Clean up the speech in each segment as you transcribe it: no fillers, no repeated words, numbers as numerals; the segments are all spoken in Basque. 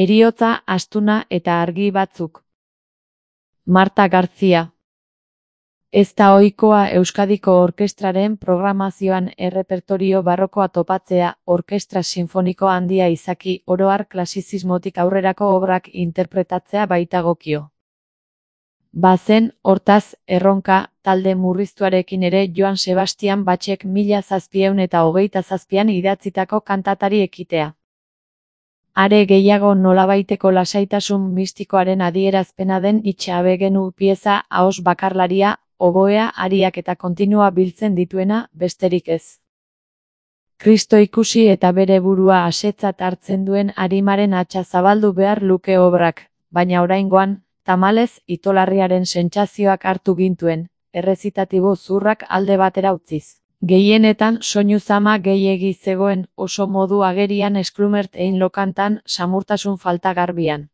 Heriotza, astuna eta argi batzuk. Marta García. Ez da ohikoa Euskadiko orkestraren programazioan errepertorio barrokoa topatzea, orkestra sinfoniko handia izaki, oro har klasizismotik aurrerako obrak interpretatzea baitagokio. Bazen, hortaz, erronka, talde murriztuarekin ere Joan Sebastian Bachek 1727an idatzitako kantatari ekitea. Are gehiago nolabaiteko lasaitasun mistikoaren adierazpena den itxabegenu pieza ahoz bakarlaria, oboea, ariak eta kontinua biltzen dituena, besterik ez. Kristo ikusi eta bere burua asetzat hartzen duen arimaren hatsa zabaldu behar luke obrak, baina oraingoan, tamalez, itolarriaren sentsazioak hartu gintuen, errezitatibo zurrak alde batera utziz. Gehienetan soinu zama gehiegi zegoen, oso modu agerian Esklumert ein lokantan, samurtasun falta garbian.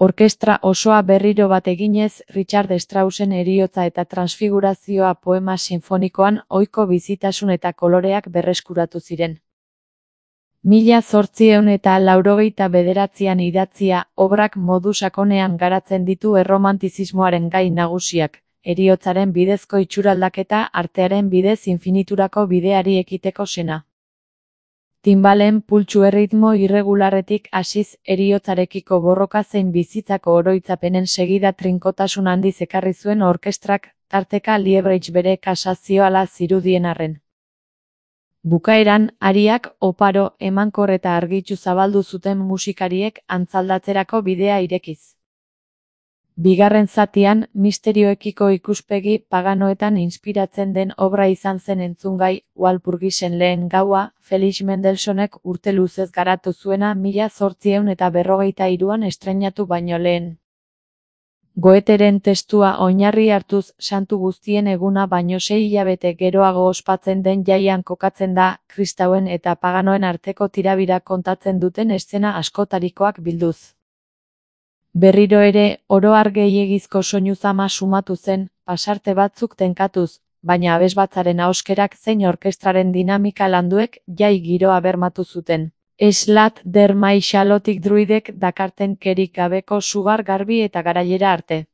Orkestra osoa berriro bat eginez, Richard Straussen Heriotza eta Transfigurazioa poema sinfonikoan ohiko bizitasun eta koloreak berreskuratu ziren. 1889an idatzia, obrak modu sakonean garatzen ditu erromantizismoaren gai nagusiak, heriotzaren bidezko itxuraldaketa, artearen bidez infiniturako bideari ekiteko sena. Timbalen pultsu erritmo irregularretik hasiz, heriotzarekiko borroka zein bizitzako oroitzapenen segida trinkotasun handiz ekarri zuen orkestrak, tarteka Liebreich bere kasazioala zirudien arren. Bukaeran, ariak, oparo, emankor eta argitsu zabaldu zuten musikariek antzaldatzerako bidea irekiz. Bigarren zatian, misterioekiko ikuspegi paganoetan inspiratzen den obra izan zen entzungai, Walpurgisen lehen gaua, Felix Mendelssohnek urte luzez garatu zuena 1853an estreinatu baino lehen. Goetheren testua oinarri hartuz, santu guztien eguna baino 6 hilabete geroago ospatzen den jaian kokatzen da, kristauen eta paganoen arteko tirabira kontatzen duten eszena askotarikoak bilduz. Berriro ere, oro har gehiegizko soinu zama sumatu zen, pasarte batzuk tenkatuz, baina abesbatzaren ahoskerak zein orkestraren dinamika landuek jai giroa bermatu zuten. Eslat der Mai Xalotik druidek dakarten kerik gabeko sugar garbi eta garaiera arte.